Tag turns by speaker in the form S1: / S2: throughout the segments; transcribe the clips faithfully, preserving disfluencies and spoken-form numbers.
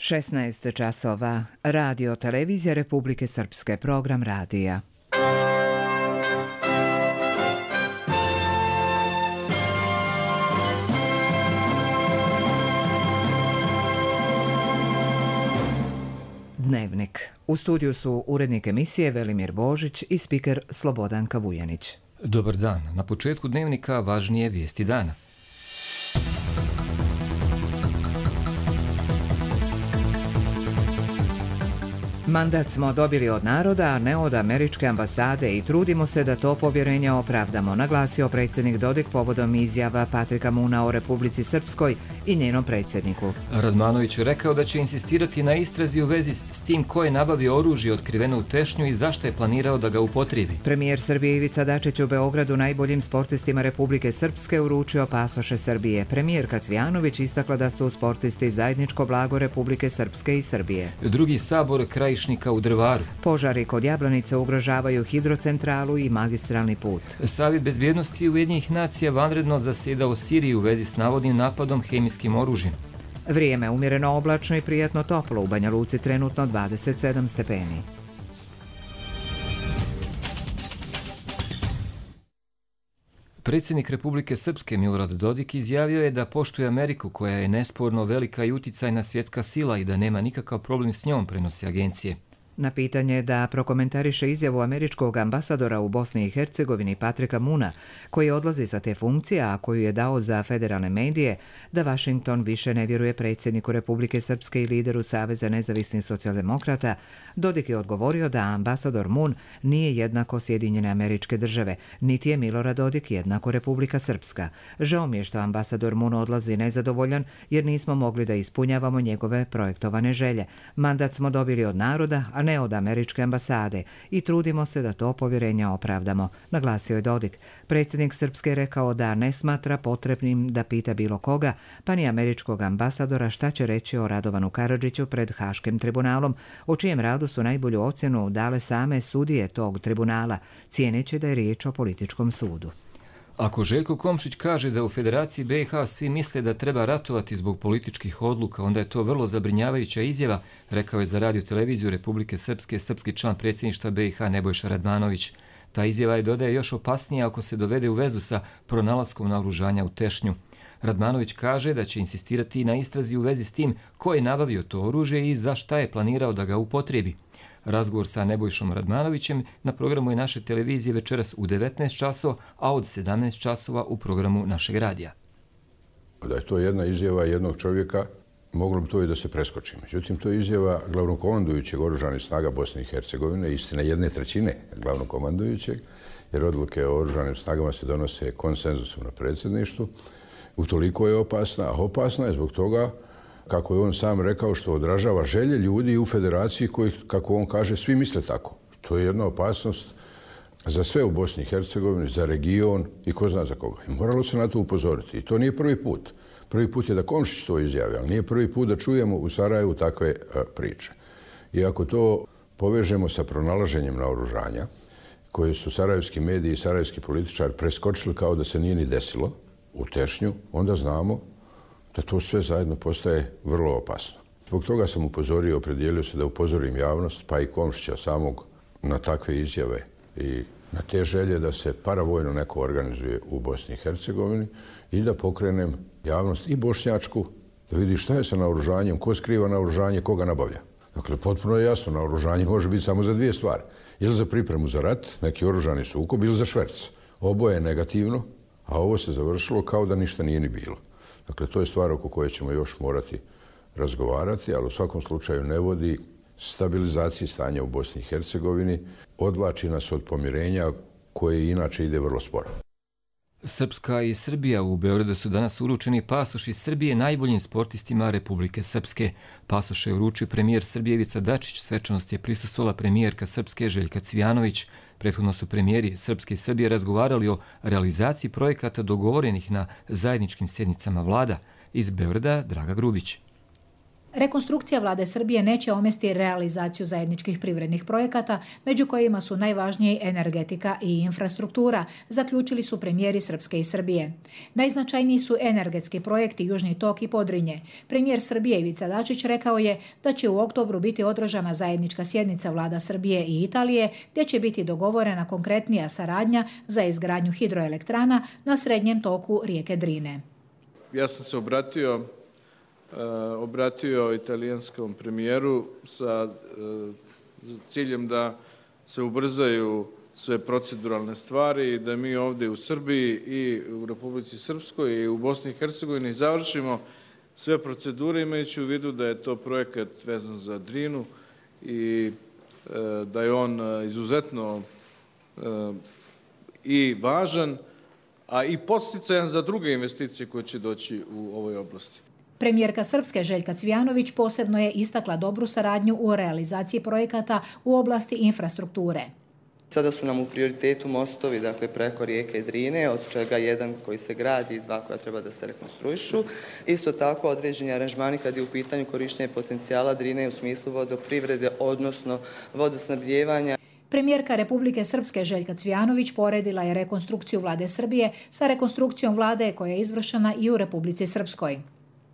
S1: šesnaest časova. Radio Televizija Republike Srpske, program radija. Dnevnik. U studiju su urednik emisije Velimir Božić i spiker Slobodanka Vujanić.
S2: Dobar dan. Na početku dnevnika važnije vijesti dana.
S1: Mandat smo dobili od naroda, a ne od američke ambasade i trudimo se da to povjerenje opravdamo, naglasio predsjednik Dodik povodom izjava Patrika Moona o Republici Srpskoj i njenom predsjedniku.
S2: Radmanović je rekao da će insistirati na istrazi u vezi s tim ko je nabavio oružje otkriveno u Tešnju i zašto je planirao da ga upotrijebi.
S1: Premijer Srbije Ivica Dačić u Beogradu najboljim sportistima Republike Srpske uručio pasoše Srbije. Premijerka Cvijanović istakla da su sportisti zajedničko blago Republike Srpske i Srbije.
S2: Drugi sabor kraj u Drvaru.
S1: Požari kod Jablanice ugrožavaju hidrocentralu i magistralni put.
S2: Savjet bezbjednosti Ujedinjenih nacija vanredno zasjeda u Siriji u vezi s navodnim napadom hemijskim oružjem.
S1: Vrijeme umjereno oblačno i prijatno toplo, u Banja Luci trenutno dvadeset sedam stepeni.
S2: Predsjednik Republike Srpske Milorad Dodik izjavio je da poštuje Ameriku, koja je nesporno velika i uticajna svjetska sila i da nema nikakav problem s njom, prenosi agencije.
S1: Na pitanje da prokomentariše izjavu američkog ambasadora u Bosni i Hercegovini Patrika Moona, koji odlazi sa te funkcije, a koju je dao za federalne medije, da Washington više ne vjeruje predsjedniku Republike Srpske i lideru Saveza nezavisnih socijaldemokrata, Dodik je odgovorio da ambasador Moon nije jednako Sjedinjene Američke Države, niti je Milorad Dodik jednako Republika Srpska. Žao mi je što ambasador Moon odlazi nezadovoljan, jer nismo mogli da ispunjavamo njegove projektovane želje. Mandat smo dobili od naroda, a ne od američke ambasade i trudimo se da to povjerenje opravdamo, naglasio je Dodik. Predsjednik Srpske je rekao da ne smatra potrebnim da pita bilo koga, pa ni američkog ambasadora šta će reći o Radovanu Karadžiću pred Haškim tribunalom, o čijem radu su najbolju ocjenu dale same sudije tog tribunala, cijeneći da je riječ o političkom sudu.
S2: Ako Željko Komšić kaže da u Federaciji B i H svi misle da treba ratovati zbog političkih odluka, onda je to vrlo zabrinjavajuća izjava, rekao je za Radio Televiziju Republike Srpske srpski član predsjedništva B i H Nebojša Radmanović. Ta izjava je, dodaje, još opasnija ako se dovede u vezu sa pronalaskom naoružanja u Tešnju. Radmanović kaže da će insistirati na istrazi u vezi s tim ko je nabavio to oružje i za šta je planirao da ga upotrijebi. Razgovor sa Nebojšom Radmanovićem na programu je naše televizije večeras u devetnaest časova, a od sedamnaest časova u programu našeg radija.
S3: Da je to jedna izjava jednog čovjeka, moglo bi to i da se preskoči. Međutim, to je izjava glavnokomandujućeg oružanih snaga Bosne i Hercegovine, istina jedne trećine glavnokomandujućeg, jer odluke o oružanim snagama se donose konsenzusom na predsjedništvu. Utoliko je opasna, a opasna je zbog toga, kako je on sam rekao, što odražava želje ljudi u federaciji koji, kako on kaže, svi misle tako. To je jedna opasnost za sve u Bosni i Hercegovini, za region i ko zna za koga. I moralo se na to upozoriti. I to nije prvi put. Prvi put je da Komšić to izjavi, ali nije prvi put da čujemo u Sarajevu takve a, priče. I ako to povežemo sa pronalaženjem naoružanja, koje su sarajevski mediji i sarajevski političari preskočili kao da se nije ni desilo u Tešnju, onda znamo da to sve zajedno postaje vrlo opasno. Zbog toga sam upozorio, opredijelio se da upozorim javnost, pa i Komšića samog, na takve izjave i na te želje da se paravojno neko organizuje u Bosni i Hercegovini i da pokrenem javnost i bošnjačku, da vidi šta je sa naoružanjem, ko skriva naoružanje, koga nabavlja. Dakle, potpuno je jasno, naoružanje može biti samo za dvije stvari. Ili za pripremu za rat, neki oružani sukob, ili za šverc. Oboje je negativno, a ovo se završilo kao da ništa nije ni bilo. Dakle, to je stvar oko koje ćemo još morati razgovarati, ali u svakom slučaju ne vodi stabilizaciji stanja u Bosni i Hercegovini, odvlači nas od pomirenja koje inače ide vrlo sporo.
S2: Srpska i Srbija u Beogradu su danas uručeni pasoši Srbije najboljim sportistima Republike Srpske. Pasoše je uručio premijer Srbije Ivica Dačić, svečanost je prisustvovala premijerka Srpske Željka Cvijanović. Prethodno su premijeri Srpske i Srbije razgovarali o realizaciji projekata dogovorenih na zajedničkim sjednicama vlada. Iz Beograda Draga Grubić.
S4: Rekonstrukcija vlade Srbije neće omesti realizaciju zajedničkih privrednih projekata, među kojima su najvažniji energetika i infrastruktura, zaključili su premijeri Srpske i Srbije. Najznačajniji su energetski projekti Južni tok i Podrinje. Premijer Srbije Ivica Dačić rekao je da će u oktobru biti održana zajednička sjednica vlada Srbije i Italije, gdje će biti dogovorena konkretnija saradnja za izgradnju hidroelektrana na srednjem toku rijeke Drine.
S5: Ja sam se obratio obratio italijanskom premijeru sa ciljem da se ubrzaju sve proceduralne stvari i da mi ovdje u Srbiji i u Republici Srpskoj i u Bosni i Hercegovini završimo sve procedure, imajući u vidu da je to projekat vezan za Drinu i da je on izuzetno i važan, a i podsticajan za druge investicije koje će doći u ovoj oblasti.
S4: Premijerka Srpske Željka Cvijanović posebno je istakla dobru saradnju u realizaciji projekata u oblasti infrastrukture.
S6: Sada su nam u prioritetu mostovi, dakle preko rijeke Drine, od čega jedan koji se gradi i dva koja treba da se rekonstruišu. Isto tako određeni aranžmani kad je u pitanju korištenje potencijala Drine u smislu vodoprivrede, odnosno vodosnabdijevanja.
S4: Premijerka Republike Srpske Željka Cvijanović poredila je rekonstrukciju vlade Srbije sa rekonstrukcijom vlade koja je izvršena i u Republici Srpskoj.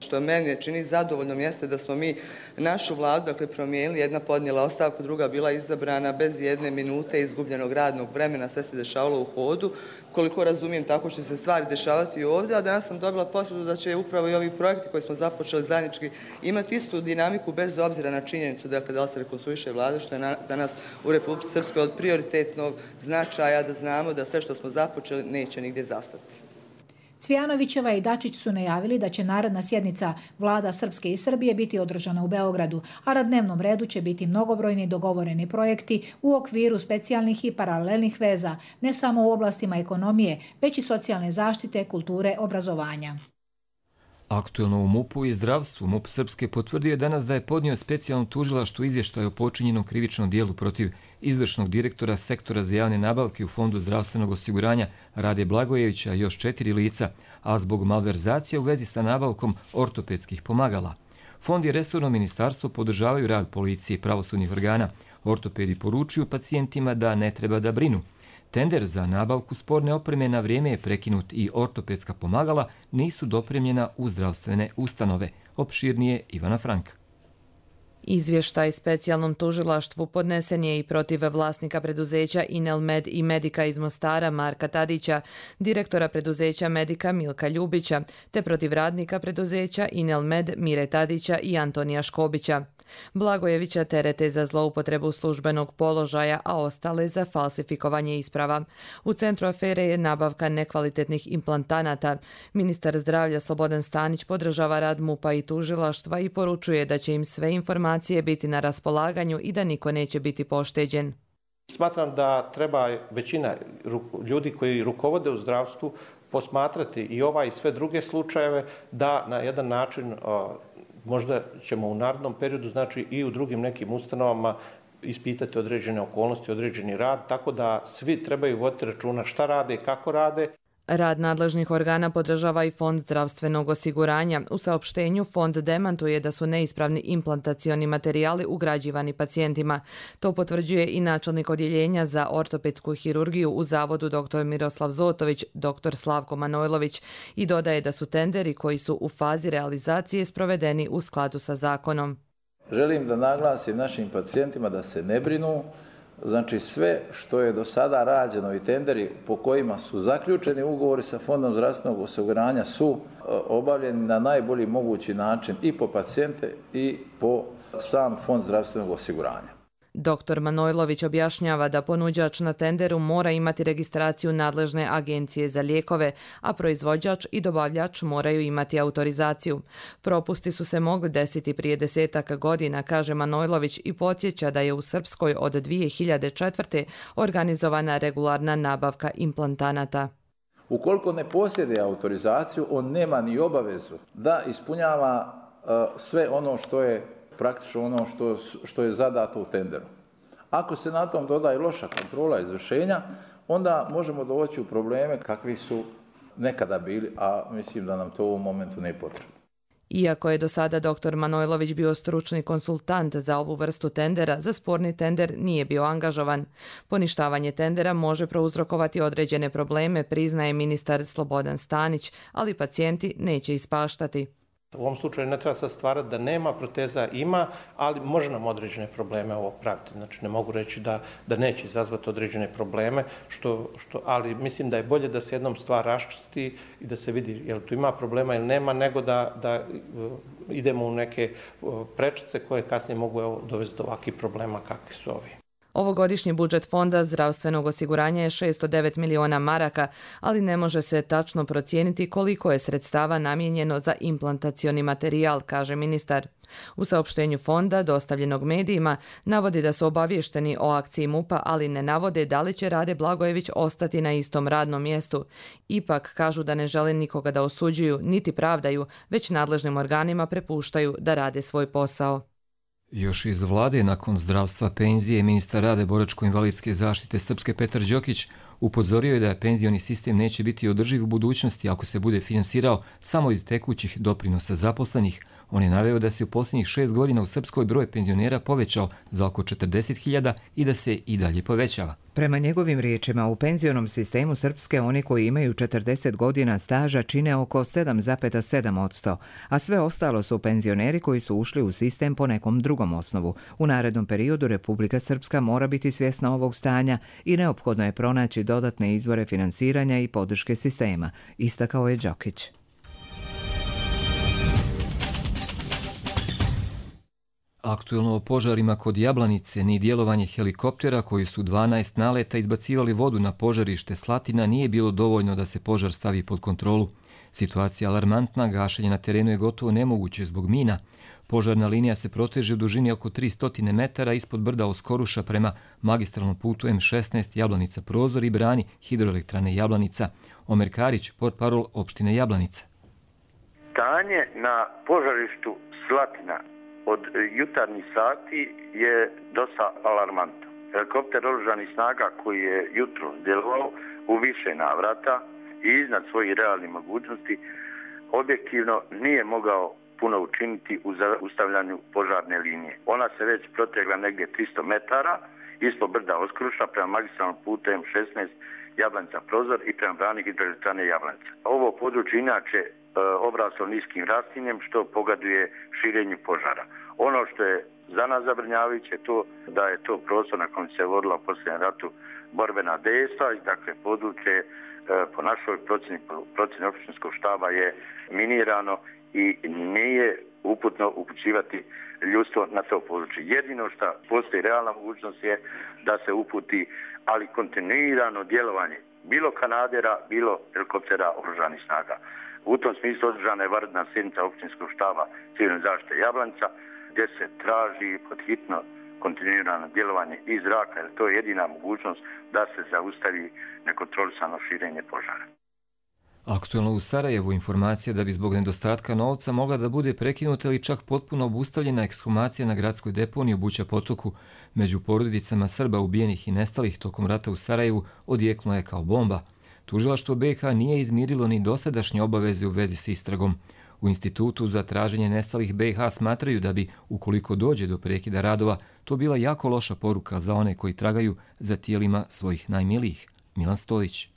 S6: Što meni čini zadovoljnom jeste da smo mi našu vladu, dakle, promijenili, jedna podnijela ostavku, druga bila izabrana bez jedne minute izgubljenog radnog vremena, sve se dešavalo u hodu. Koliko razumijem, tako će se stvari dešavati i ovdje, a danas sam dobila potvrdu da će upravo i ovi projekti koji smo započeli zajednički imati istu dinamiku bez obzira na činjenicu dakle, da li se rekonstruiše vlada, što je na, za nas u Republici Srpskoj od prioritetnog značaja da znamo da sve što smo započeli neće nigdje zastati.
S4: Cvijanovićeva i Dačić su najavili da će naredna sjednica vlada Srpske i Srbije biti održana u Beogradu, a na dnevnom redu će biti mnogobrojni dogovoreni projekti u okviru specijalnih i paralelnih veza, ne samo u oblastima ekonomije, već i socijalne zaštite, kulture, obrazovanja.
S2: Aktuelno u MUP-u i zdravstvu MUP Srpske potvrdio je danas da je podnio specijalno tužilaštvo izvještaj o počinjenom krivičnom dijelu protiv izvršnog direktora sektora za javne nabavke u Fondu zdravstvenog osiguranja Rade Blagojevića i još četiri lica, a zbog malverzacije u vezi sa nabavkom ortopedskih pomagala. Fond i resorno ministarstvo podržavaju rad policije i pravosudnih organa. Ortopedi poručuju pacijentima da ne treba da brinu. Tender za nabavku sporne opreme na vrijeme je prekinut i ortopedska pomagala nisu dopremljena u zdravstvene ustanove. Opširnije Ivana Frank.
S7: Izvještaj specijalnom tužilaštvu podnesen je i protiv vlasnika preduzeća Inelmed i Medika iz Mostara Marka Tadića, direktora preduzeća Medika Milka Ljubića, te protiv radnika preduzeća Inelmed Mire Tadića i Antonija Škobića. Blagojevića terete za zloupotrebu službenog položaja, a ostale za falsifikovanje isprava. U centru afere je nabavka nekvalitetnih implantanata. Ministar zdravlja Slobodan Stanić podržava rad MUP-a i tužilaštva i poručuje da će im sve informacije biti na raspolaganju i da niko neće biti pošteđen.
S8: Smatram da treba većina ljudi koji rukovode u zdravstvu posmatrati i ovaj i sve druge slučajeve da na jedan način možda ćemo u narednom periodu, znači i u drugim nekim ustanovama ispitati određene okolnosti, određeni rad, tako da svi trebaju voditi računa šta rade i kako rade.
S7: Rad nadležnih organa podržava i Fond zdravstvenog osiguranja. U saopštenju Fond demantuje da su neispravni implantacioni materijali ugrađivani pacijentima. To potvrđuje i načelnik odjeljenja za ortopedsku hirurgiju u Zavodu dr Miroslav Zotović, dr Slavko Manojlović i dodaje da su tenderi koji su u fazi realizacije sprovedeni u skladu sa zakonom.
S9: Želim da naglasim našim pacijentima da se ne brinu. Znači sve što je do sada rađeno i tenderi po kojima su zaključeni ugovori sa Fondom zdravstvenog osiguranja su obavljeni na najbolji mogući način i po pacijente i po sam Fond zdravstvenog osiguranja.
S7: Doktor Manojlović objašnjava da ponuđač na tenderu mora imati registraciju nadležne agencije za lijekove, a proizvođač i dobavljač moraju imati autorizaciju. Propusti su se mogli desiti prije desetak godina, kaže Manojlović i podsjeća da je u Srpskoj od dvije hiljade četvrte. organizovana regularna nabavka implantanata.
S9: Ukoliko ne posjeduje autorizaciju, on nema ni obavezu da ispunjava uh, sve ono što je praktično ono što, što je zadato u tenderu. Ako se na tom doda i loša kontrola izvršenja, onda možemo doći u probleme kakvi su nekada bili, a mislim da nam to u ovom momentu ne je potrebno.
S7: Iako je do sada doktor Manojlović bio stručni konsultant za ovu vrstu tendera, za sporni tender nije bio angažovan. Poništavanje tendera može prouzrokovati određene probleme, priznaje ministar Slobodan Stanić, ali pacijenti neće ispaštati.
S8: U ovom slučaju ne treba sad stvarati da nema, proteza ima, ali može nam određene probleme ovo praviti. Znači ne mogu reći da, da neće izazvati određene probleme, što, što, ali mislim da je bolje da se jednom stvar raščisti i da se vidi je li tu ima problema ili nema, nego da, da idemo u neke prečice koje kasnije mogu evo, dovesti do ovakvih problema kakvi su ovi.
S7: Ovogodišnji budžet Fonda zdravstvenog osiguranja je šezsto devet miliona maraka, ali ne može se tačno procijeniti koliko je sredstava namijenjeno za implantacioni materijal, kaže ministar. U saopštenju fonda, dostavljenog medijima, navodi da su obavješteni o akciji MUP-a, ali ne navode da li će Rade Blagojević ostati na istom radnom mjestu. Ipak kažu da ne žele nikoga da osuđuju, niti pravdaju, već nadležnim organima prepuštaju da rade svoj posao.
S2: Još iz vlade nakon zdravstva, penzije, ministar rada boračko-invalidske zaštite Srpske Petar Đokić upozorio je da penzioni sistem neće biti održiv u budućnosti ako se bude finansirao samo iz tekućih doprinosa zaposlenih. On je naveo da se u posljednjih šest godina u Srpskoj broj penzionera povećao za oko četrdeset hiljada i da se i dalje povećava.
S1: Prema njegovim riječima, u penzionom sistemu Srpske oni koji imaju četrdeset godina staža čine oko sedam zarez sedam posto, a sve ostalo su penzioneri koji su ušli u sistem po nekom drugom osnovu. U narednom periodu Republika Srpska mora biti svjesna ovog stanja i neophodno je pronaći dodatne izvore finansiranja i podrške sistema, istakao je Đokić.
S2: Aktuelno o požarima kod Jablanice ni djelovanje helikoptera koji su dvanaest naleta izbacivali vodu na požarište Slatina nije bilo dovoljno da se požar stavi pod kontrolu. Situacija alarmantna, gašenje na terenu je gotovo nemoguće zbog mina. Požarna linija se proteže u dužini oko tristo metara ispod brda Oskoruša prema magistralnom putu em šesnaest Jablanica Prozor i brani hidroelektrane Jablanica. Omer Karić, portparol opštine Jablanica.
S10: Stanje na požarištu Slatina od jutarnjih sati je dosta alarmantno. Helikopter oružanih snaga koji je jutro djelovao u više navrata i iznad svojih realnih mogućnosti objektivno nije mogao puno učiniti u zaustavljanju požarne linije. Ona se već protegla negdje tristo metara ispod brda Oskruša prema magistralnom putu em šesnaest Jablanica Prozor i prema brani hidroelektrane Jablanica. Ovo područje inače e, obraslo niskim rastinjem što pogoduje širenju požara. Ono što je za nas zabrinjavajuće je to da je to prostor na kojem se vodila u posljednjem ratu borbena dejstva i dakle područje e, po našoj procjeni, procjeni općinskog štaba je minirano i nije uputno upućivati ljudstvo na to područje. Jedino što postoji realna mogućnost je da se uputi, ali kontinuirano djelovanje bilo kanadera, bilo helikoptera oružanih snaga. U tom smislu održana je vanredna sjednica općinskog štaba civilne zaštite Jablanica, gdje se traži podhitno kontinuirano djelovanje iz zraka, jer to je jedina mogućnost da se zaustavi nekontrolisano širenje požara.
S2: Aktuelno u Sarajevu informacija da bi zbog nedostatka novca mogla da bude prekinuta ili čak potpuno obustavljena ekshumacija na gradskoj deponiji u Buća potoku. Među porodicama Srba ubijenih i nestalih tokom rata u Sarajevu odjeknula je kao bomba. Tužilaštvo be ha nije izmirilo ni dosadašnje obaveze u vezi s istragom. U Institutu za traženje nestalih be ha smatraju da bi, ukoliko dođe do prekida radova, to bila jako loša poruka za one koji tragaju za tijelima svojih najmilijih. Milan Stojić.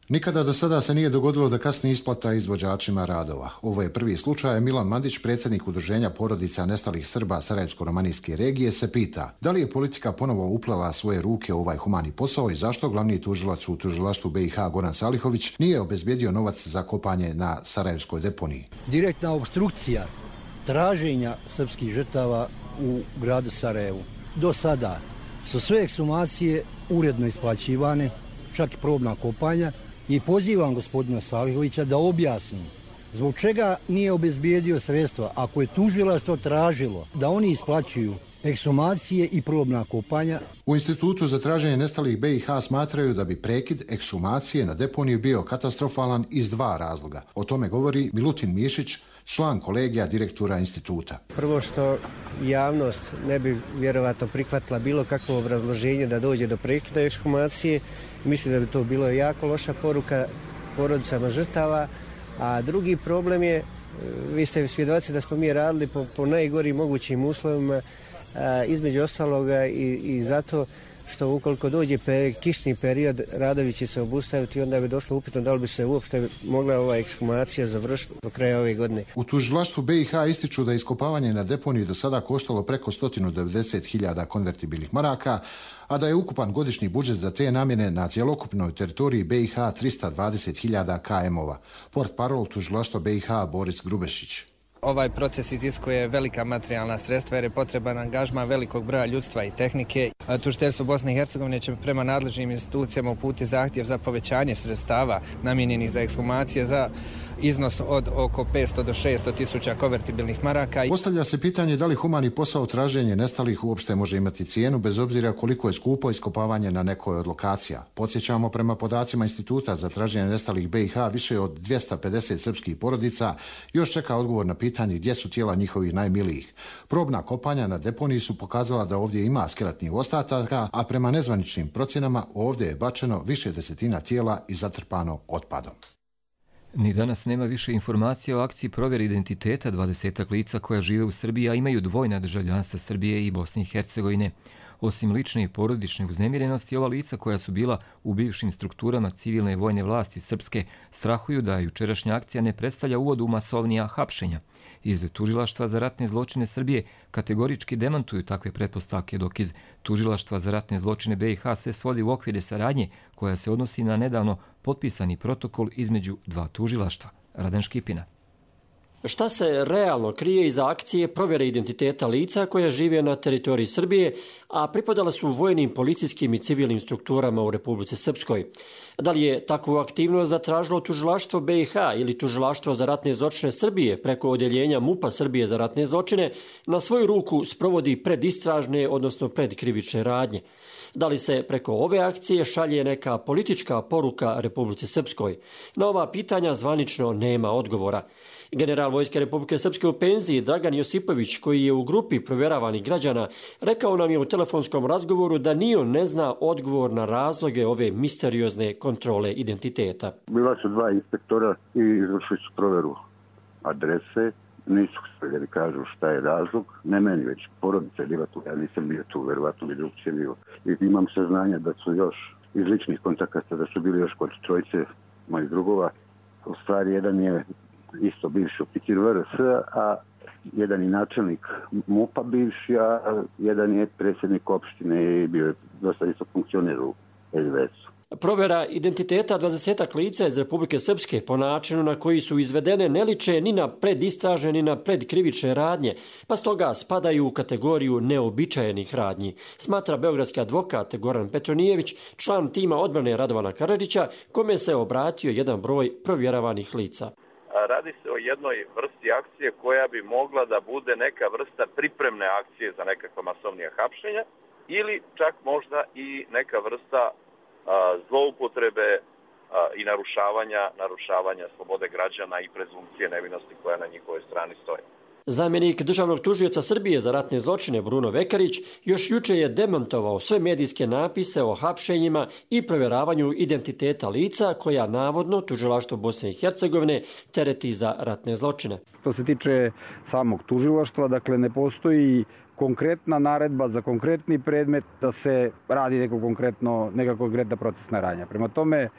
S11: Nikada do sada se nije dogodilo da kasni isplata izvođačima radova. Ovo je prvi slučaj. Milan Mandić, predsjednik Udruženja porodica nestalih Srba Sarajevsko-romanijske regije, se pita da li je politika ponovo uplela svoje ruke u ovaj humani posao i zašto glavni tužilac u tužilaštvu be ha Goran Salihović nije obezbijedio novac za kopanje na sarajevskoj deponiji.
S12: Direktna obstrukcija traženja srpskih žrtava u gradu Sarajevu. Do sada su sve ekshumacije uredno isplaćivane, čak i probna kopanja, i pozivam gospodina Salihovića da objasni zbog čega nije obezbijedio sredstva ako je tužilaštvo tražilo da oni isplaćuju ekshumacije i probna kopanja.
S11: U Institutu za traženje nestalih be ha smatraju da bi prekid ekshumacije na deponiju bio katastrofalan iz dva razloga. O tome govori Milutin Mišić, član kolegija direktora instituta.
S13: Prvo što javnost ne bi vjerovatno prihvatila bilo kakvo obrazloženje da dođe do prekida ekshumacije. Mislim da bi to bilo jako loša poruka porodicama žrtava, a drugi problem je Vi ste svjedoci da smo mi radili po, po najgorim mogućim uslovima, a, između ostaloga i, i zato što ukoliko dođe pe, kišni period, radovi će se obustaviti i onda bi došlo upitno da li bi se uopšte mogla ova ekshumacija završiti do kraja ove godine.
S11: U tužilaštvu B i H ističu da je iskopavanje na deponiji do sada koštalo preko sto devedeset hiljada konvertibilnih maraka, a da je ukupan godišnji budžet za te namjene na cjelokupnoj teritoriji B i H trista dvadeset hiljada km-ova. Portparol tužilaštva B i H Boris Grubešić.
S14: Ovaj proces iziskuje velika materijalna sredstva jer je potreban angažman velikog broja ljudstva i tehnike. Tužiteljstvo Bosne i Hercegovine će prema nadležnim institucijama uputiti zahtjev za povećanje sredstava namijenjenih za ekshumacije za iznos od oko petsto do šesto tisuća konvertibilnih maraka.
S11: Postavlja se pitanje da li humani posao traženje nestalih uopšte može imati cijenu bez obzira koliko je skupo iskopavanje na nekoj od lokacija. Podsjećamo, prema podacima Instituta za traženje nestalih B i H, više od dvjesto pedeset srpskih porodica još čeka odgovor na pitanje gdje su tijela njihovih najmilijih. Probna kopanja na deponiji su pokazala da ovdje ima skeletnih ostataka, a prema nezvaničnim procjenama ovdje je bačeno više desetina tijela i zatrpano otpadom.
S2: Ni danas nema više informacija o akciji provjere identiteta dvadesetak lica koja žive u Srbiji, a imaju dvojna državljanstva Srbije i Bosne i Hercegovine. Osim lične i porodične uznemirenosti, ova lica koja su bila u bivšim strukturama civilne i vojne vlasti Srpske strahuju da jučerašnja akcija ne predstavlja uvod u masovnija hapšenja. Iz Tužilaštva za ratne zločine Srbije kategorički demantuju takve pretpostavke, dok iz Tužilaštva za ratne zločine B i H sve svodi u okvire saradnje koja se odnosi na nedavno potpisani protokol između dva tužilaštva. Radan Škipina.
S15: Šta se realno krije iza akcije provjere identiteta lica koja žive na teritoriji Srbije, a pripadala su vojnim, policijskim i civilnim strukturama u Republici Srpskoj? Da li je takvu aktivnost zatražilo tužilaštvo B i H ili tužilaštvo za ratne zločine Srbije preko odjeljenja MUP-a Srbije za ratne zločine na svoju ruku sprovodi predistražne, odnosno predkrivične radnje? Da li se preko ove akcije šalje neka politička poruka Republici Srpskoj? Na ova pitanja zvanično nema odgovora. General Vojske Republike Srpske u penziji Dragan Josipović, koji je u grupi provjeravanih građana, rekao nam je u telefonskom razgovoru da ni on ne zna odgovor na razloge ove misteriozne kontrole identiteta.
S16: Bila su dva inspektora i izvršili su provjeru adrese. Nisu htjeli kažu šta je razlog. Ne meni, već porodica je bila tu. Ja nisam bio tu, verovatno bi drugčije bio. I imam saznanja da su još iz ličnih kontakata, da su bili još kod trojice mojih drugova. U stvari, jedan je isto bivši oficir V R S, a jedan je načelnik MUP-a bivši, a jedan je predsjednik opštine i bio je dosta isto funkcioner u S D S-u.
S15: Provjera identiteta dvadesetak lica iz Republike Srpske po načinu na koji su izvedene ne liče ni na predistražne ni na predkrivične radnje, pa stoga spadaju u kategoriju neobičajenih radnji, smatra beogradski advokat Goran Petronijević, član tima odbrane Radovana Karadžića, kome se obratio jedan broj provjeravanih lica.
S17: Radi se o jednoj vrsti akcije koja bi mogla da bude neka vrsta pripremne akcije za nekakva masovnija hapšenja ili čak možda i neka vrsta a, zloupotrebe a, i narušavanja, narušavanja slobode građana i prezumcije nevinosti koja na njihovoj strani stoji.
S15: Zamjenik državnog tužioca Srbije za ratne zločine Bruno Vekarić još juče je demantovao sve medijske napise o hapšenjima i provjeravanju identiteta lica koja navodno tužilaštvo Bosne i Hercegovine tereti za ratne zločine.
S18: Što se tiče samog tužilaštva, dakle ne postoji konkretna naredba za konkretni predmet da se radi neko konkretno, neka konkretna procesna radnja. Prema tome,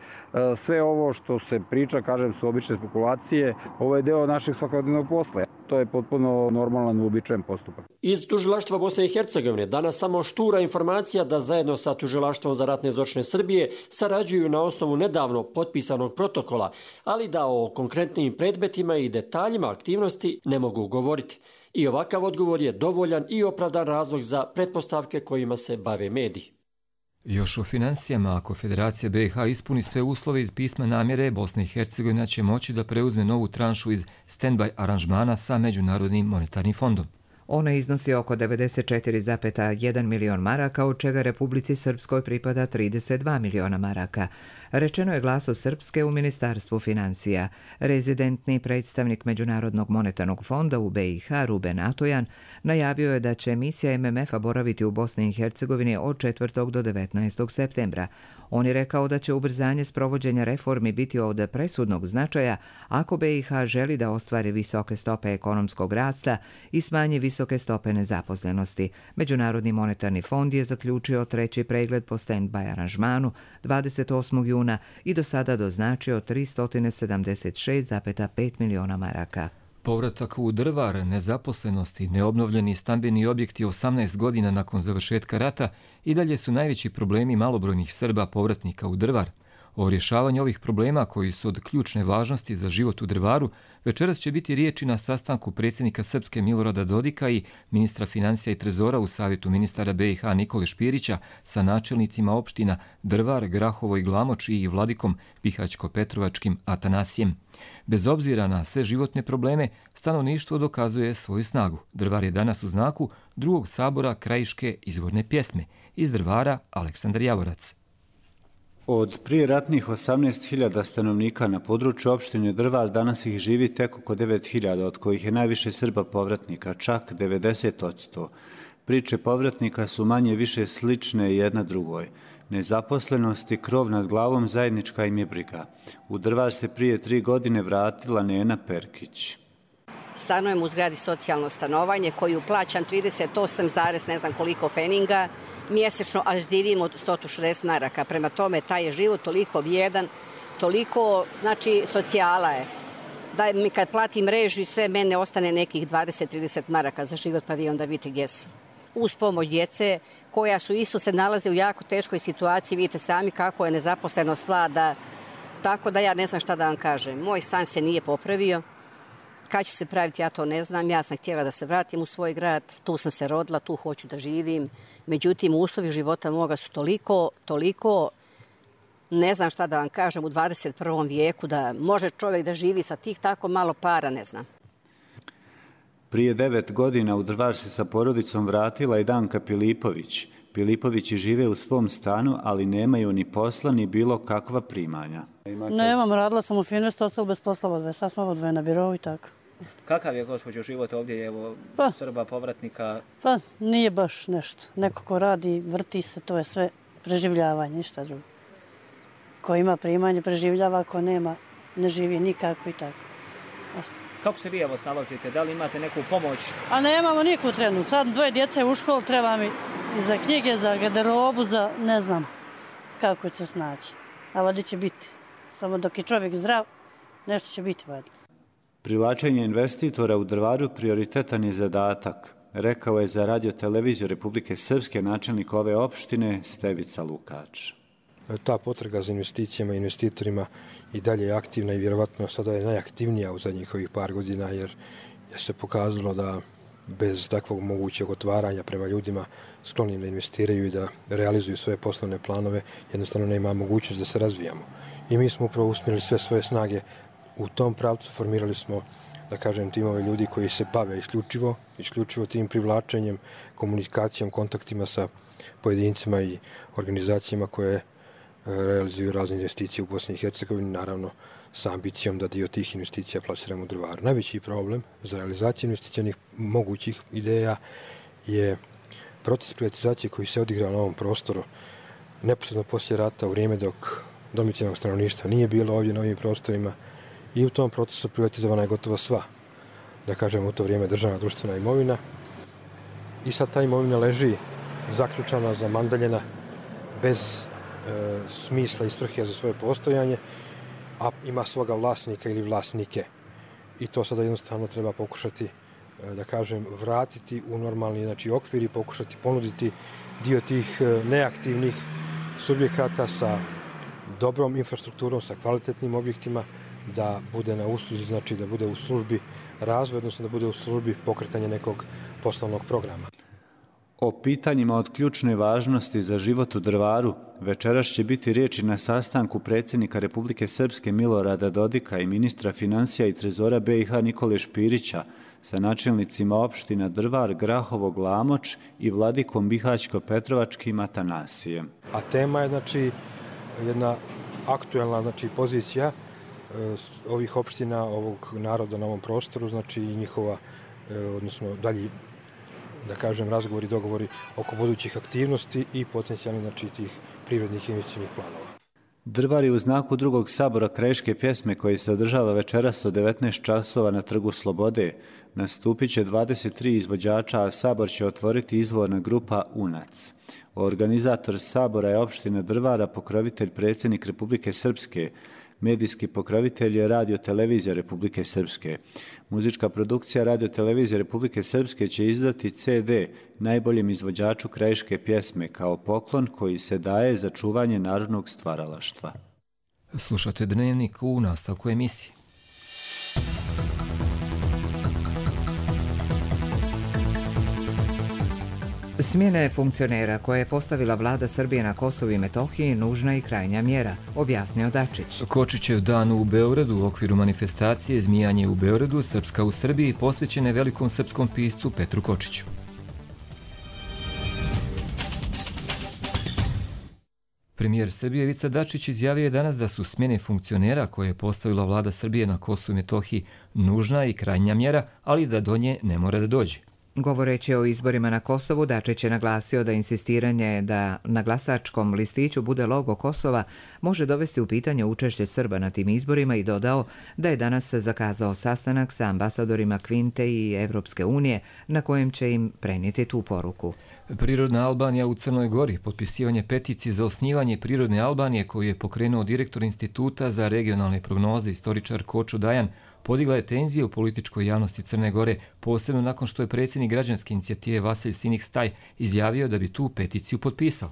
S18: sve ovo što se priča, kažem, su obične spekulacije, ovo je deo našeg svakodnevnog posla. To je potpuno normalan, uobičajen postupak.
S15: Iz tužilaštva Bosne i Hercegovine danas samo štura informacija da zajedno sa tužilaštvom za ratne zločine Srbije sarađuju na osnovu nedavno potpisanog protokola, ali da o konkretnim predmetima i detaljima aktivnosti ne mogu govoriti. I ovakav odgovor je dovoljan i opravdan razlog za pretpostavke kojima se bave mediji.
S2: Još o financijama, ako Federacija B i H ispuni sve uslove iz pisma namjere, Bosna i Hercegovina će moći da preuzme novu tranšu iz stand-by aranžmana sa Međunarodnim monetarnim fondom.
S1: Ona iznosi oko devedeset četiri zarez jedan milion maraka, od čega Republici Srpskoj pripada trideset dva miliona maraka. Rečeno je Glasu Srpske u Ministarstvu financija. Rezidentni predstavnik Međunarodnog monetarnog fonda u B i H, Ruben Atojan, najavio je da će misija M M F-a boraviti u Bosni i Hercegovini od četvrtog do devetnaestog septembra. On je rekao da će ubrzanje sprovođenja reformi biti od presudnog značaja ako B i H želi da ostvari visoke stope ekonomskog rasta i smanji visoke stope nezaposlenosti. Međunarodni monetarni fond je zaključio treći pregled po stand-by aranžmanu dvadeset osmog juna i do sada doznačio tristo sedamdeset šest zarez pet miliona maraka.
S2: Povratak u Drvar, nezaposlenosti, neobnovljeni stambeni objekti osamnaest godina nakon završetka rata i dalje su najveći problemi malobrojnih Srba povratnika u Drvar. O rješavanju ovih problema, koji su od ključne važnosti za život u Drvaru, večeras će biti riječi na sastanku predsjednika Srpske Milorada Dodika i ministra financija i trezora u Savjetu ministara B i H Nikole Špirića sa načelnicima opština Drvar, Grahovo i Glamoč i Vladikom Bihać-Petrovačkim Atanasijem. Bez obzira na sve životne probleme, stanovništvo dokazuje svoju snagu. Drvar je danas u znaku drugog sabora krajiške izvorne pjesme. Iz Drvara, Aleksandar Javorac.
S19: Od prijeratnih osamnaest hiljada stanovnika na području opštine Drvar danas ih živi tek oko devet hiljada, od kojih je najviše Srba povratnika, čak devedeset posto. Priče povratnika su manje više slične jedna drugoj. Nezaposlenost i krov nad glavom zajednička im je briga. U Drvar se prije tri godine vratila Nena Perkić.
S20: Stanujem u zgradi socijalno stanovanje koju plaćam trideset osam zarez ne znam koliko feninga mjesečno, a živim od sto šezdeset maraka. Prema tome, taj je život toliko bijedan, toliko, znači, socijala je. Da mi kad platim režiju i sve, mene ostane nekih dvadeset do trideset maraka za život, pa vi onda vidite gdje sam. Uz pomoć djece, koja su isto se nalaze u jako teškoj situaciji, vidite sami kako je nezaposlenost vlada, tako da ja ne znam šta da vam kažem. Moj stan se nije popravio. Kad će se praviti, ja to ne znam. Ja sam htjela da se vratim u svoj grad, tu sam se rodila, tu hoću da živim. Međutim, uslovi života moga su toliko, toliko, ne znam šta da vam kažem, u dvadeset prvom vijeku, da može čovjek da živi sa tih tako malo para, ne znam.
S19: Prije devet godina u Drvar se sa porodicom vratila i Danka Pilipović. Pilipovići žive u svom stanu, ali nemaju ni posla, ni bilo kakva primanja.
S21: Nemam, radila sam u Finestu, ostalo bez posla odve. Sad smo odve na birovu i tako.
S22: Kakav je, gospođo, život ovdje, evo,
S21: pa,
S22: Srba, povratnika?
S21: Pa, nije baš nešto. Neko ko radi, vrti se, to je sve preživljavanje, ništa drugo. Ko ima primanje, preživljava, ko nema, ne živi nikako i tako.
S22: Kako se vi evo snalazite? Da li imate neku pomoć?
S21: A nemamo niku trenu. Sad dvoje djece u školu, treba mi i za knjige, za garderobu, za ne znam kako će se snaći. A vada će biti. Samo dok je čovjek zdrav, nešto će biti vada.
S19: Privlačenje investitora u Drvaru prioritetan je zadatak, rekao je za Radio televiziju Republike Srpske načelnik ove opštine Stevica Lukač.
S23: Ta potraga za investicijama i investitorima i dalje je aktivna i vjerovatno sada je najaktivnija u zadnjih ovih par godina, jer je se pokazalo da bez takvog mogućeg otvaranja prema ljudima skloni da investiraju i da realizuju svoje poslovne planove, jednostavno nema mogućnost da se razvijamo. I mi smo upravo usmjerili sve svoje snage u tom pravcu, formirali smo, da kažem, timove ljudi koji se bave isključivo, isključivo tim privlačenjem, komunikacijom, kontaktima sa pojedincima i organizacijama koje realizuju razne investicije u Bosni i Hercegovini, naravno sa ambicijom da dio tih investicija plasiramo u Drvaru. Najveći problem za realizaciju investicionih mogućih ideja je proces privatizacije koji se odigrao na ovom prostoru neposredno poslije rata, u vrijeme dok domicilnog stanovništva nije bilo ovdje na ovim prostorima, i u tom procesu privatizovana je gotovo sva, da kažemo, u to vrijeme državna društvena imovina, i sad ta imovina leži zaključana, zamandaljena, bez e, smisla i svrhe za svoje postojanje, a ima svoga vlasnika ili vlasnike. I to sada jednostavno treba pokušati, e, da kažem, vratiti u normalni, znači, okvir i pokušati ponuditi dio tih e, neaktivnih subjekata sa dobrom infrastrukturom, sa kvalitetnim objektima, da bude na usluzi, znači da bude u službi razvoja, odnosno da bude u službi pokretanja nekog poslovnog programa.
S19: O pitanjima od ključne važnosti za život u Drvaru večeras će biti riječi na sastanku predsjednika Republike Srpske Milorada Dodika i ministra financija i trezora B i H Nikole Špirića sa načelnicima opština Drvar, Grahovo, Glamoč i vladikom Bihaćko-Petrovačkim Atanasijem.
S23: A tema je znači jedna aktuelna znači pozicija ovih opština, ovog naroda na ovom prostoru, znači i njihova, odnosno dalji, da kažem, razgovori, dogovori oko budućih aktivnosti i potencijalnih znači tih privrednih investicionih planova.
S19: Drvar je u znaku drugog sabora krajiške pjesme koji se održava večeras od devetnaest časova na Trgu Slobode. Nastupit će dvadeset tri izvođača, a sabor će otvoriti izvorna grupa Unac. Organizator sabora je opština Drvara, pokrovitelj predsjednik Republike Srpske. Medijski pokrovitelj je Radio Televizija Republike Srpske. Muzička produkcija Radio Televizije Republike Srpske će izdati ce de najboljem izvođaču krajiške pjesme kao poklon koji se daje za čuvanje narodnog stvaralaštva.
S2: Slušate Dnevnik u nastavku emisije.
S1: Smjena funkcionera koje je postavila vlada Srbije na Kosovu i Metohiji nužna i krajnja mjera, objasnio Dačić.
S2: Kočićev dan u Beogradu u okviru manifestacije Zmijanje u Beogradu, Srpska u Srbiji, posvećene velikom srpskom piscu Petru Kočiću. Premijer Srbije Ivica Dačić izjavio je danas da su smjene funkcionera koje je postavila vlada Srbije na Kosovu i Metohiji nužna i krajnja mjera, ali da do nje ne mora da dođe.
S1: Govoreći o izborima na Kosovu, Dačić je naglasio da insistiranje da na glasačkom listiću bude logo Kosova može dovesti u pitanje učešće Srba na tim izborima i dodao da je danas zakazao sastanak sa ambasadorima Kvinte i Evropske unije na kojem će im prenijeti tu poruku.
S2: Prirodna Albanija u Crnoj Gori, potpisivanje peticije za osnivanje Prirodne Albanije koju je pokrenuo direktor Instituta za regionalne prognoze istoričar Kočo Dajan, podigla je tenzije u političkoj javnosti Crne Gore, posebno nakon što je predsjednik građanske inicijative Vasilj Sinik Staj izjavio da bi tu peticiju potpisao.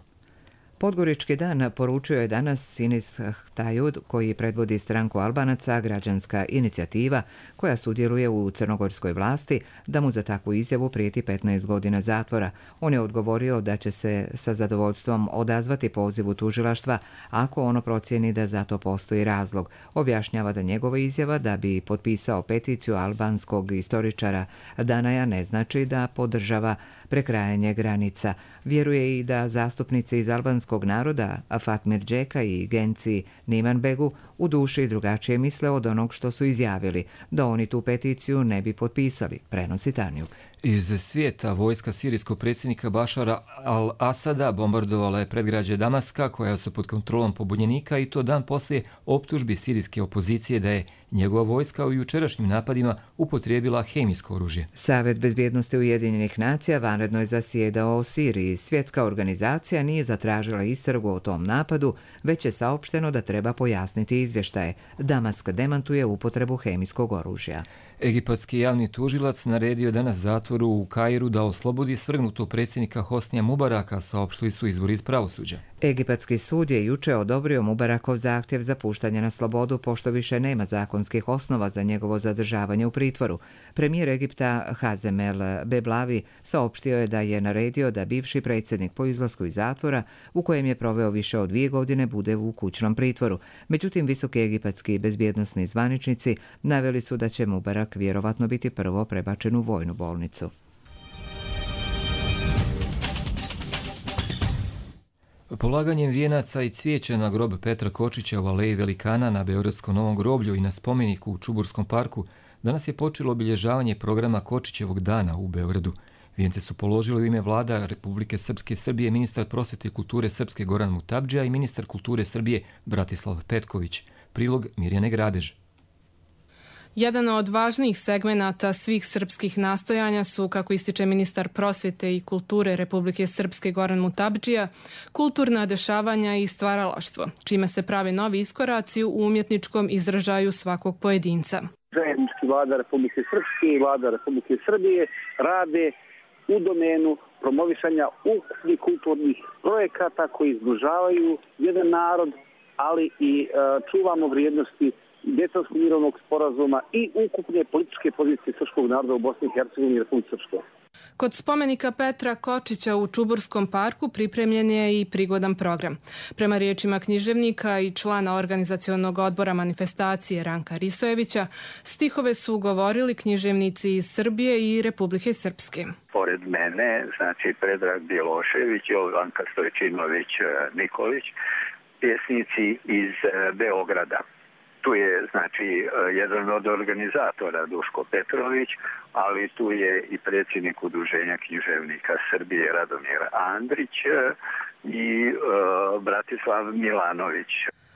S1: Podgorički dan poručio je danas Sinis Htajud, koji predvodi stranku Albanaca, građanska inicijativa koja sudjeluje u crnogorskoj vlasti, da mu za takvu izjavu prijeti petnaest godina zatvora. On je odgovorio da će se sa zadovoljstvom odazvati pozivu tužilaštva ako ono procijeni da za to postoji razlog. Objašnjava da njegova izjava da bi potpisao peticiju albanskog istoričara Danaja ne znači da podržava prekrajanje granica. Vjeruje i da zastupnici iz albanskog naroda Fatmir Džeka i Genci Nimanbegu u duši drugačije misle od onog što su izjavili, da oni tu peticiju ne bi potpisali, prenosi Tanjuk.
S2: Iz svijeta vojska sirijskog predsjednika Bašara al-Asada bombardovala je predgrađe Damaska koja su pod kontrolom pobunjenika i to dan poslije optužbi sirijske opozicije da je njegova vojska u jučerašnjim napadima upotrijebila hemijsko oružje.
S1: Savet bezbjednosti Ujedinjenih nacija vanredno je zasjedao o Siriji. Svjetska organizacija nije zatražila istragu o tom napadu, već je saopšteno da treba pojasniti izvještaje. Damask demantuje upotrebu hemijskog oružja.
S2: Egipatski javni tužilac naredio danas zatvoru u Kairu da oslobodi svrgnutog predsjednika Hosnija Mubaraka, saopštili su izvori iz pravosuđa.
S1: Egipatski sud je juče odobrio Mubarakov zahtjev za puštanje na slobodu pošto više nema zakonskih osnova za njegovo zadržavanje u pritvoru. Premijer Egipta Hazem El Beblavi saopštio je da je naredio da bivši predsjednik po izlasku iz zatvora, u kojem je proveo više od dvije godine, bude u kućnom pritvoru. Međutim, visoki egipatski bezbjednosni zvaničnici naveli su da će Mubarak vjerovatno biti prvo prebačen u vojnu bolnicu.
S2: Polaganjem vijenaca i cvijeća na grob Petra Kočića u Aleji Velikana na Beogradskom Novom groblju i na spomeniku u Čuburskom parku danas je počelo obilježavanje programa Kočićevog dana u Beogradu. Vijence su položili u ime vlada Republike Srpske Srbije ministar prosvete i kulture Srpske Goran Mutabdžija i ministar kulture Srbije Bratislav Petković. Prilog Mirjane Grabež.
S3: Jedan od važnijih segmenata svih srpskih nastojanja su, kako ističe ministar prosvete i kulture Republike Srpske Goran Mutabdžija, kulturna dešavanja i stvaralaštvo, čime se prave novi iskoraci u umjetničkom izražaju svakog pojedinca.
S5: Zajednički vlada Republike Srpske i vlada Republike Srbije rade u domenu promovisanja ukupnih kulturnih projekata koji izbližavaju jedan narod, ali i uh, čuvamo vrijednosti Dejtonskog mirovnog sporazuma i ukupne političke pozicije srpskog naroda u Bosni i Hercegovini i Republici Srpskoj.
S3: Kod spomenika Petra Kočića u Čuburskom parku pripremljen je i prigodan program. Prema riječima književnika i člana organizacionog odbora manifestacije Ranka Risojevića, stihove su govorili književnici iz Srbije i Republike Srpske.
S4: Pored mene, znači Predrag Bjelošević, Jovanka Stojčinović Nikolić, pjesnici iz Beograda. Tu je znači jedan od organizatora Duško Petrović, ali tu je i predsjednik Udruženja književnika Srbije Radomir Andrić i uh, Bratislav Milanović.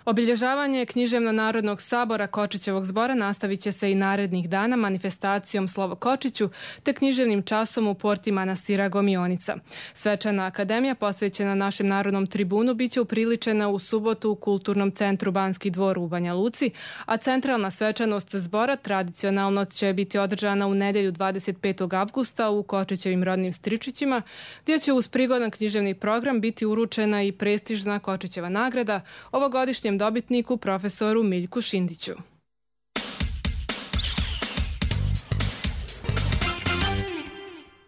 S3: Obilježavanje Književno-narodnog sabora Kočićevog zbora nastavit će se i narednih dana manifestacijom Slovo Kočiću te književnim časom u porti manastira Gomionica. Svečana akademija posvećena našem narodnom tribunu biće upriličena u subotu u Kulturnom centru Banski dvor u Banja Luci, a centralna svečanost zbora tradicionalno će biti održana u nedjelju dvadeset petog avgusta u Kočićevim rodnim Stričićima, gdje će uz prigodan književni program biti uručena i prestižna Kočićeva nagrada ovogodišnjem dobitniku profesoru Miljku Šindiću.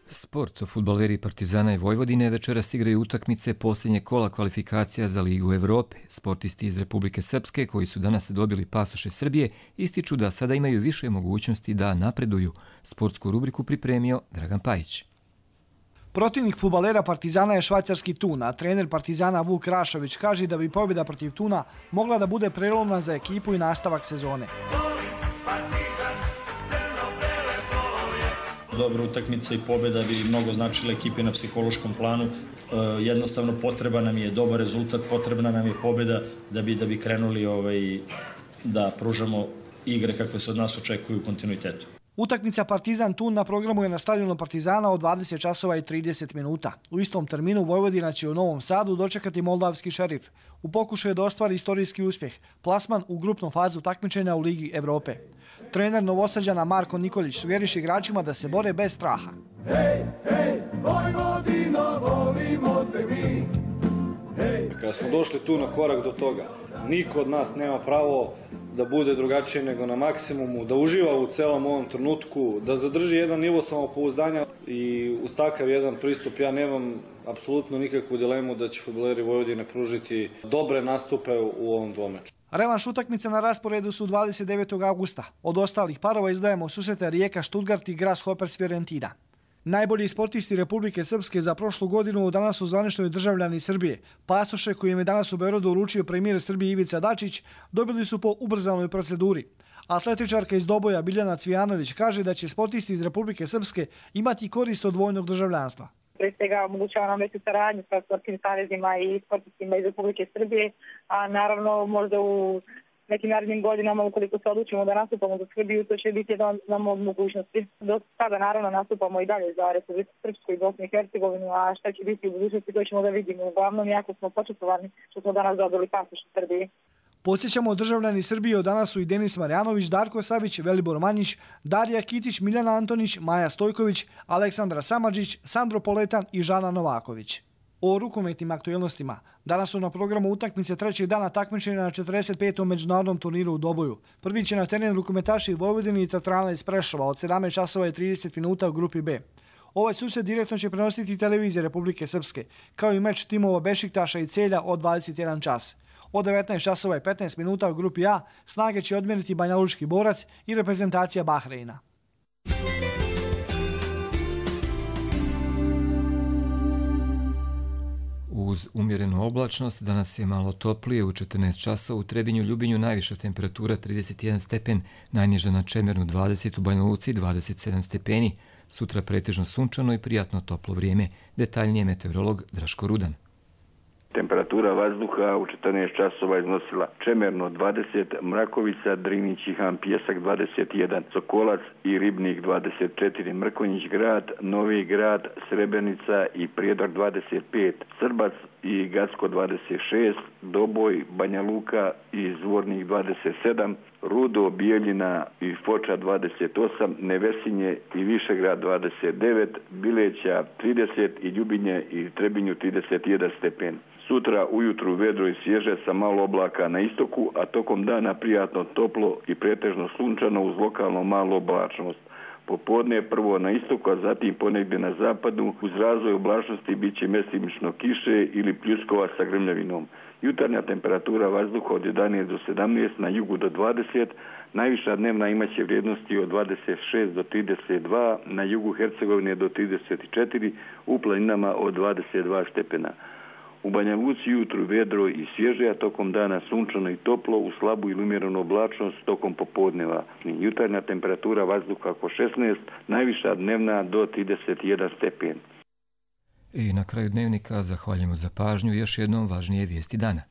S2: Sport. Fudbaleri Partizana i Vojvodine večeras igraju utakmice posljednje kola kvalifikacija za Ligu Evrope. Sportisti iz Republike Srpske, koji su danas dobili pasoše Srbije, ističu da sada imaju više mogućnosti da napreduju. Sportsku rubriku pripremio Dragan Pajić.
S6: Protivnik fudbalera Partizana je švajcarski Thun, a trener Partizana Vuk Rašović kaže da bi pobjeda protiv Thuna mogla da bude prelomna za ekipu i nastavak sezone.
S9: Dobra utakmica i pobjeda bi mnogo značila ekipi na psihološkom planu. E, jednostavno potreba nam je dobar rezultat, potrebna nam je pobjeda da bi, da bi krenuli ovaj, da pružamo igre kakve se od nas očekuju u kontinuitetu.
S6: Utakmica Partizan Thun na programu je na stadionu Partizana od dvadeset časova i trideset minuta. U istom terminu Vojvodina će u Novom Sadu dočekati moldavski Šerif. U pokušaju da ostvari istorijski uspjeh, plasman u grupnu fazu takmičenja u Ligi Evrope. Trener Novosađana Marko Nikolić sugeriše igračima da se bore bez straha.
S24: Hej, hej, Vojvodino, volimo te mi. Hej.
S25: Kada smo došli tu na korak do toga, niko od nas nema pravo da bude drugačije nego na maksimumu, da uživa u celom ovom trenutku, da zadrži jedan nivo samopouzdanja i uz takav jedan pristup ja nemam apsolutno nikakvu dilemu da će fudbaleri Vojvodine pružiti dobre nastupe u ovom dvomeču.
S6: Revanš utakmice na rasporedu su dvadeset devetog avgusta. Od ostalih parova izdajemo susrete Rijeka Stuttgart i Grasshoppers Fiorentina. Najbolji sportisti Republike Srpske za prošlu godinu danas su zvanični državljani Srbije. Pasoše kojim je danas u Beogradu uručio premijer Srbije Ivica Dačić dobili su po ubrzanoj proceduri. Atletičarka iz Doboja Biljana Cvijanović kaže da će sportisti iz Republike Srpske imati korist od dvojnog državljanstva.
S26: Pre svega omogućava nam veću saradnju sa sportskim savezima i sportistima iz Republike Srbije, a naravno možda u nekim narednim godinama, ukoliko se odlučimo da nastupamo za Srbiju, to će biti jedan od mogućnosti. Do sada naravno nastupamo i dalje za Republiku Srpsku i Bosnu i Hercegovinu, a šta će biti u budućnosti, to ćemo da vidimo. Uglavnom, jako smo počestovani što smo danas dobili pasoš u Srbiji.
S6: Podsjećamo, državljani Srbije od danas su i Denis Marjanović, Darko Savić, Velibor Manjić, Darija Kitić, Miljana Antonić, Maja Stojković, Aleksandra Samadžić, Sandro Poletan i Žana Novaković. O rukometnim aktuelnostima. Danas su na programu utakmice trećeg dana takmičenja na četrdeset petom međunarodnom turniru u Doboju. Prvi će na teren rukometaši Vojvodine i Teatralna iz Prešova od sedamnaest časova i trideset minuta u grupi B. Ovaj susret direktno će prenositi televizija Republike Srpske, kao i meč timova Bešiktaša i Celja od dvadeset jedan čas. Od devetnaest časova i petnaest minuta u grupi A snage će odmjeriti Banjalučki Borac i reprezentacija Bahreina.
S2: Uz umjerenu oblačnost danas je malo toplije, u četrnaest časova u Trebinju, Ljubinju najviša temperatura trideset jedan stepen, najniža na Čemernu dvadeset, u Banja Luci dvadeset sedam stepeni. Sutra pretežno sunčano i prijatno toplo vrijeme. Detaljnije meteorolog Draško Rudan.
S4: Temperatura vazduha u četrnaest časova iznosila Čemerno dvadeset, Mrakovica, Drinić i Han Pijesak dvadeset jedan, Sokolac i Ribnik dvadeset četiri, Mrkonjić grad, Novi grad, Srebrenica i Prijedor dvadeset pet, Srbac i Gacko dvadeset šest, Doboj, Banja Luka i Zvornik dvadeset sedam, Rudo, Bijeljina i Foča dvadeset osam, Nevesinje i Višegrad dvadeset devet, Bileća trideset i Ljubinje i Trebinju trideset jedan stepen. Sutra ujutru vedro i svježe sa malo oblaka na istoku, a tokom dana prijatno toplo i pretežno sunčano uz lokalno malu oblačnost. Popodne prvo na istoku, a zatim ponegdje na zapadu. Uz razvoj oblačnosti bit će mjestimično kiše ili pljuskova sa grmljavinom. Jutarnja temperatura vazduha od jedanaest do sedamnaest, na jugu do dvadeset, najviša dnevna imaće vrijednosti od dvadeset šest do trideset dva, na jugu Hercegovine do trideset četiri, u planinama od dvadeset dva stepena. U Banja Luci jutru vedro i svježe, a tokom dana sunčano i toplo, u slabu ili umjerenu oblačnost tokom popodneva. Jutarnja temperatura vazduha oko šesnaest, najviša dnevna do trideset jedan stepen.
S2: I na kraju dnevnika zahvaljujemo za pažnju, još jednom važnije vijesti dana.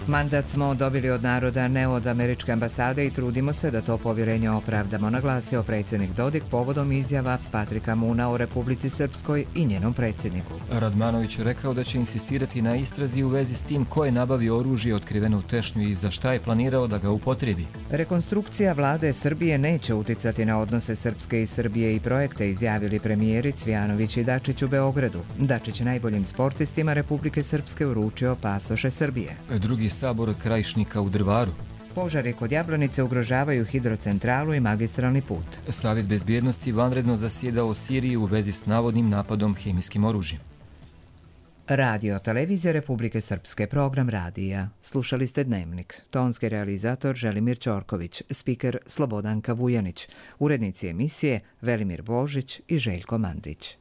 S1: Mandat smo dobili od naroda, ne od američke ambasade i trudimo se da to povjerenje opravdamo, naglasio predsjednik Dodik povodom izjava Patrika Moona o Republici Srpskoj i njenom predsjedniku.
S2: Radmanović je rekao da će insistirati na istrazi u vezi s tim ko je nabavio oružje otkriveno u Tešnju i za šta je planirao da ga upotrebi.
S1: Rekonstrukcija vlade Srbije neće uticati na odnose Srpske i Srbije i projekte, izjavili premijeri Cvijanović i Dačić u Beogradu. Dačić najboljim sportistima Republike Srpske uručio pasoše Srbije.
S2: Drugi sabor Krajišnika u Drvaru.
S1: Požari kod Jablanice ugrožavaju hidrocentralu i magistralni put.
S2: Savjet bezbjednosti vanredno zasjedao o Siriji u vezi s navodnim napadom hemijskim oružjem.
S1: Radio televizija Republike Srpske, program radija. Slušali ste Dnevnik. Tonski realizator Želimir Ćorković, spiker Slobodanka Vujanić, urednici emisije Velimir Božić i Željko Mandić.